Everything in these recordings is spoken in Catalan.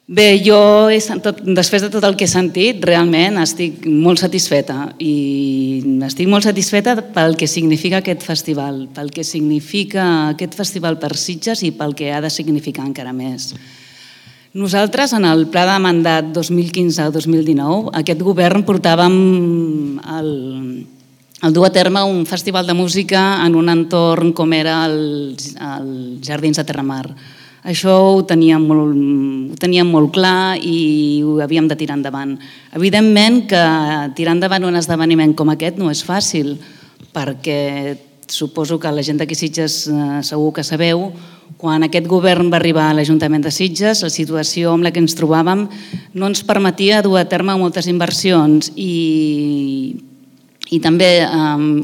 Bé, jo, després de tot el que he sentit, realment estic molt satisfeta i estic molt satisfeta pel que significa aquest festival, pel que significa aquest festival per Sitges i pel que ha de significar encara més. Nosaltres, en el pla de mandat 2015-2019, aquest govern portàvem el dur a terme un festival de música en un entorn com era els Jardins de Terramar. Això ho teníem molt clar i ho havíem de tirar endavant. Evidentment que tirar endavant un esdeveniment com aquest no és fàcil, perquè suposo que la gent d'aquí Sitges segur que sabeu, quan aquest govern va arribar a l'Ajuntament de Sitges, la situació amb la que ens trobàvem no ens permetia dur a terme moltes inversions i també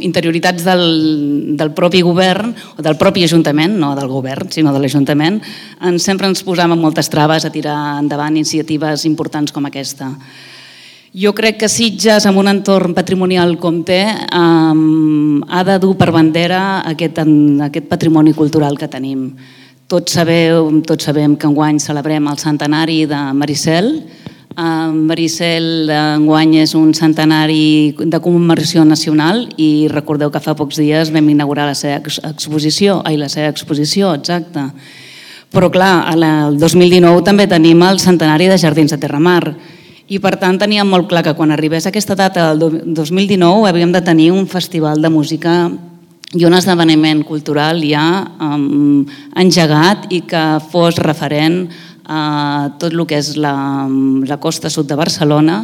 interioritats del propi govern, o del propi Ajuntament, no del govern, sinó de l'Ajuntament, sempre ens posàvem moltes traves a tirar endavant iniciatives importants com aquesta. Jo crec que Sitges, amb un entorn patrimonial com té, ha de dur per bandera aquest patrimoni cultural que tenim. Tots sabem que enguany celebrem el centenari de Maricel. Maricel enguany és un centenari de commemoració nacional i recordeu que fa pocs dies vam inaugurar la seva exposició, exacte. Però clar, el 2019 també tenim el centenari de Jardins de Terramar i per tant teníem molt clar que quan arribés aquesta data del 2019 havíem de tenir un festival de música i un esdeveniment cultural ja engegat i que fos referent a tot el que és la costa sud de Barcelona,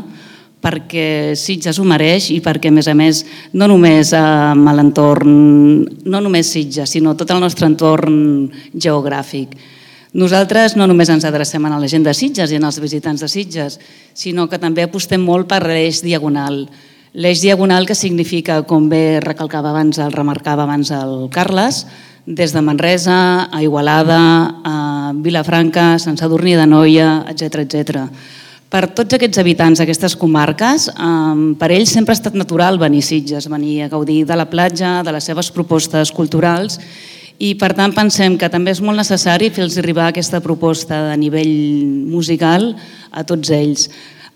perquè Sitges ho mereix i perquè, a més, no només amb l'entorn, no només Sitges, sinó tot el nostre entorn geogràfic. Nosaltres no només ens adrecem a la gent de Sitges i als visitants de Sitges, sinó que també apostem molt per l'eix diagonal. L'eix diagonal que significa, com bé remarcava abans el Carles, des de Manresa a Igualada, a Vilafranca, Sant Sadurní d'Anoia, etc. Per tots aquests habitants d'aquestes comarques, per ells sempre ha estat natural venir a Sitges, venir a gaudir de la platja, de les seves propostes culturals i per tant pensem que també és molt necessari fer-los arribar aquesta proposta a nivell musical a tots ells.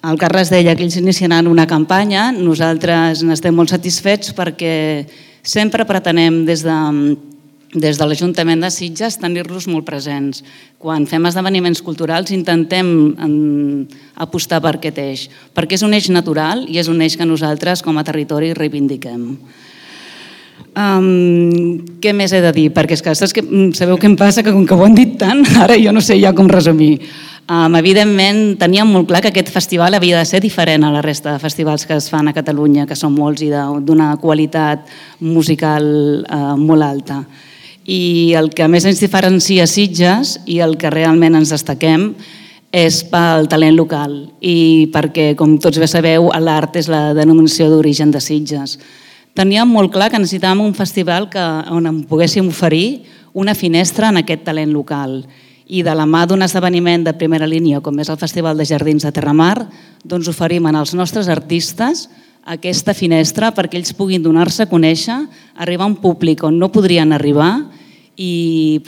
El Carles deia que ells iniciaran una campanya, nosaltres n'estem molt satisfets perquè sempre pretenem des de l'Ajuntament de Sitges tenir-los molt presents. Quan fem esdeveniments culturals intentem apostar per aquest eix, perquè és un eix natural i és un eix que nosaltres com a territori reivindiquem. Què més he de dir? Perquè sabeu què em passa? Que com que ho han dit tant, ara jo no sé ja com resumir. Evidentment teníem molt clar que aquest festival havia de ser diferent a la resta de festivals que es fan a Catalunya, que són molts i d'una qualitat musical molt alta. I el que més ens diferencia Sitges i el que realment ens destaquem és pel talent local i perquè, com tots bé sabeu, l'art és la denominació d'origen de Sitges. Teníem molt clar que necessitàvem un festival on en poguéssim oferir una finestra en aquest talent local i de la mà d'un esdeveniment de primera línia com és el Festival de Jardins de Terramar, doncs oferim als nostres artistes aquesta finestra perquè ells puguin donar-se a conèixer, arribar a un públic on no podrien arribar i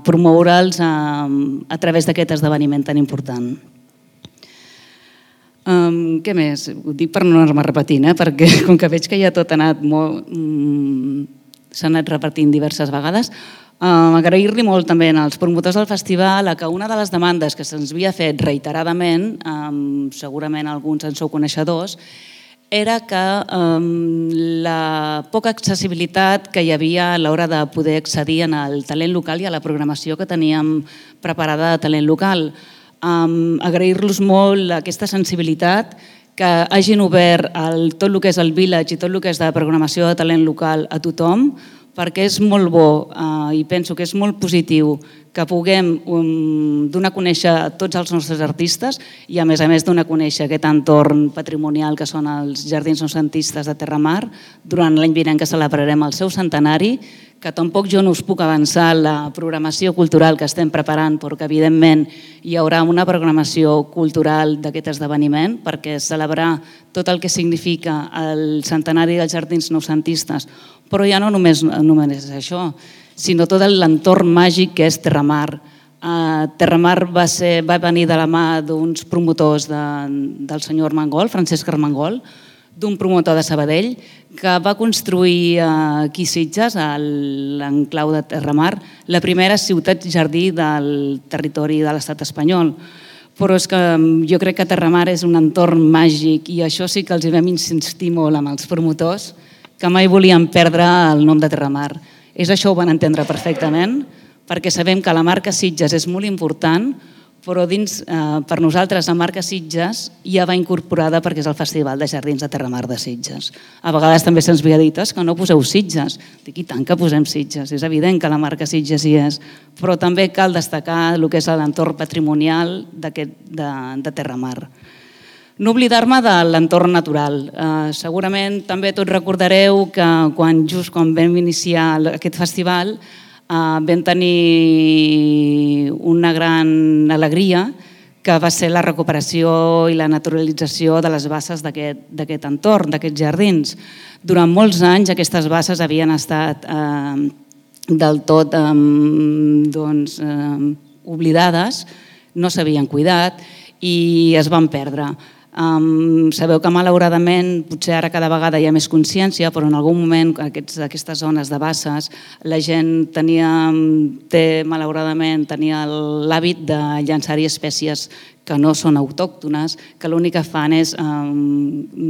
promoure'ls a través d'aquest esdeveniment tan important. Què més? Ho dic per no anar-me repetint, perquè com que veig que ja tot s'ha anat repetint diverses vegades, agrair-li molt també als promotors del festival que una de les demandes que se'ns havia fet reiteradament, segurament alguns en sou coneixedors, era que la poca accessibilitat que hi havia a l'hora de poder accedir al talent local i a la programació que teníem preparada de talent local. Agrair-los molt aquesta sensibilitat, que hagin obert tot el que és el Village i tot el que és de programació de talent local a tothom, perquè és molt bo i penso que és molt positiu que puguem donar a conèixer a tots els nostres artistes i a més donar a conèixer aquest entorn patrimonial que són els Jardins Noucentistes de Terramar durant l'any vinent que celebrarem el seu centenari, que tampoc jo no us puc avançar la programació cultural que estem preparant, perquè evidentment hi haurà una programació cultural d'aquest esdeveniment perquè celebrar tot el que significa el centenari dels Jardins Noucentistes, però ja no només és això, sinó tot l'entorn màgic que és Terramar. Terramar va venir de la mà d'uns promotors del senyor Armengol, Francesc Armengol, d'un promotor de Sabadell, que va construir aquí a Sitges, a l'enclau de Terramar, la primera ciutat jardí del territori de l'estat espanyol. Però és que jo crec que Terramar és un entorn màgic i això sí que els hi vam insistir molt amb els promotors, que mai volien perdre el nom de Terramar. Això ho van entendre perfectament, perquè sabem que la marca Sitges és molt important, però per nosaltres la marca Sitges ja va incorporada perquè és el Festival de Jardins de Terramar de Sitges. A vegades també se'ns havia dit que no poseu Sitges. Dic, i tant que posem Sitges, és evident que la marca Sitges hi és, però també cal destacar el que és l'entorn patrimonial de Terramar. No oblidar-me de l'entorn natural. Segurament també tots recordareu que just quan vam iniciar aquest festival vam tenir una gran alegria que va ser la recuperació i la naturalització de les basses d'aquest entorn, d'aquests jardins. Durant molts anys aquestes basses havien estat del tot oblidades, no s'havien cuidat i es van perdre. Sabeu que malauradament, potser ara cada vegada hi ha més consciència, però en algun moment aquestes zones de basses la gent tenia l'hàbit de llançar-hi espècies que no són autòctones, que l'únic que fan és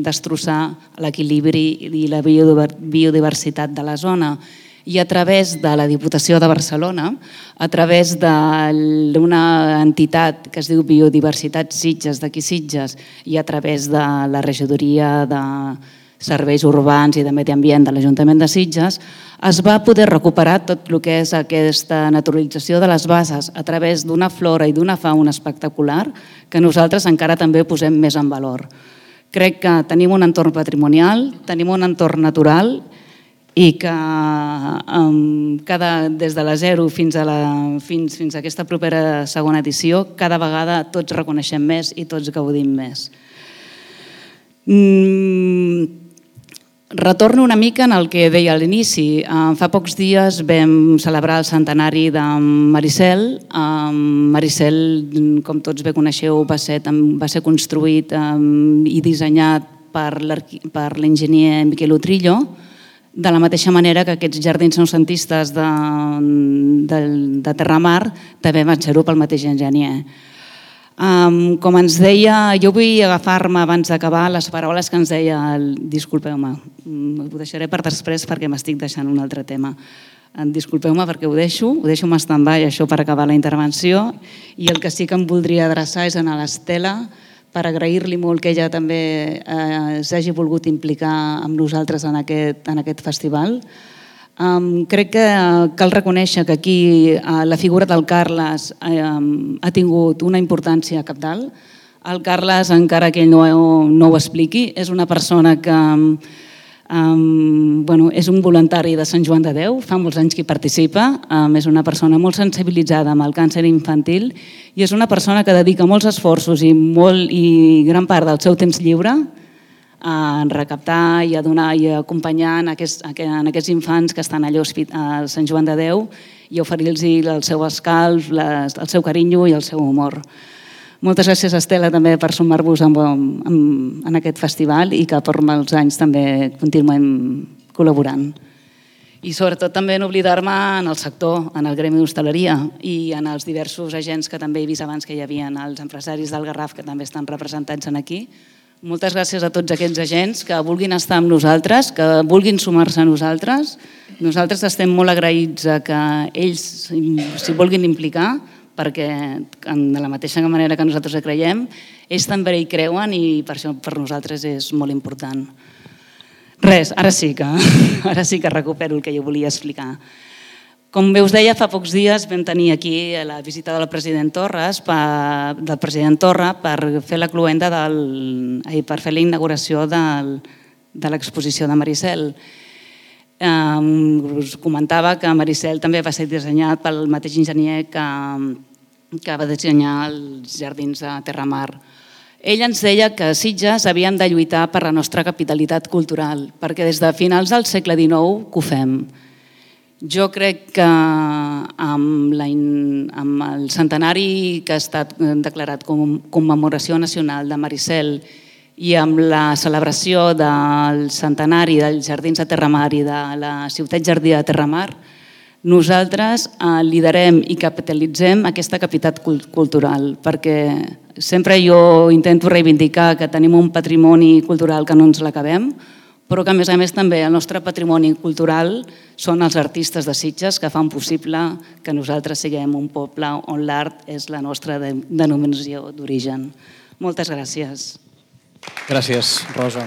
destrossar l'equilibri i la biodiversitat de la zona. I a través de la Diputació de Barcelona, a través d'una entitat que es diu Biodiversitat Sitges, d'aquí Sitges, i a través de la Regidoria de Serveis Urbans i de Medi Ambient de l'Ajuntament de Sitges, es va poder recuperar tot el que és aquesta naturalització de les basses a través d'una flora i d'una fauna espectacular que nosaltres encara també posem més en valor. Crec que tenim un entorn patrimonial, tenim un entorn natural i que des de la 0 fins a aquesta propera segona edició, cada vegada tots reconeixem més i tots gaudim més. Retorno una mica en el que deia a l'inici. Fa pocs dies vam celebrar el centenari de Maricel. Maricel, com tots bé coneixeu, va ser construït i dissenyat per l'enginyer Miquel Utrillo, de la mateixa manera que aquests jardins noucentistes de Terramar també van ser-ho pel mateix enginyer. Com ens deia, jo vull agafar-me abans d'acabar les paraules que ens deia, disculpeu-me, ho deixaré per després perquè m'estic deixant un altre tema. Disculpeu-me perquè ho deixo en stand-by això per acabar la intervenció i el que sí que em voldria adreçar és a l'Estela per agrair-li molt que ella també s'hagi volgut implicar amb nosaltres en aquest festival. Crec que cal reconèixer que aquí la figura del Carles ha tingut una importància cabdal. El Carles, encara que ell no ho expliqui, és una persona que és un voluntari de Sant Joan de Déu, fa molts anys que hi participa, és una persona molt sensibilitzada amb el càncer infantil i és una persona que dedica molts esforços i gran part del seu temps lliure a recaptar i a donar i a acompanyar en aquests infants que estan allà a Sant Joan de Déu i oferir-los el seu escalf, el seu carinyo i el seu humor. Moltes gràcies, Estela, també per sumar-vos en aquest festival i que per molts anys també continuem col·laborant. I sobretot també no oblidar-me en el sector, en el gremi d'hostaleria i en els diversos agents que també he vist abans que hi havia, els empresaris del Garraf que també estan representats aquí. Moltes gràcies a tots aquests agents que vulguin estar amb nosaltres, que vulguin sumar-se a nosaltres. Nosaltres estem molt agraïts que ells s'hi vulguin implicar perquè de la mateixa manera que nosaltres hi creiem, ells també hi creuen i per això per nosaltres és molt important. Res, ara sí que recupero el que jo volia explicar. Com bé us deia, fa pocs dies vam tenir aquí la visita del president Torra per fer la cloenda per fer la inauguració de l'exposició de Maricel. Us comentava que Maricel també va ser dissenyat pel mateix enginyer que va dissenyar els jardins de Terramar. Ell ens deia que a Sitges havíem de lluitar per la nostra capitalitat cultural, perquè des de finals del segle XIX que ho fem. Jo crec que amb el centenari que ha estat declarat com commemoració nacional de Maricel i amb la celebració del centenari dels Jardins de Terramar i de la ciutat jardí de Terramar, nosaltres liderem i capitalitzem aquesta capital cultural, perquè sempre jo intento reivindicar que tenim un patrimoni cultural que no ens l'acabem, però que a més també el nostre patrimoni cultural són els artistes de Sitges que fan possible que nosaltres siguem un poble on l'art és la nostra denominació d'origen. Moltes gràcies. Gràcies, Rosa.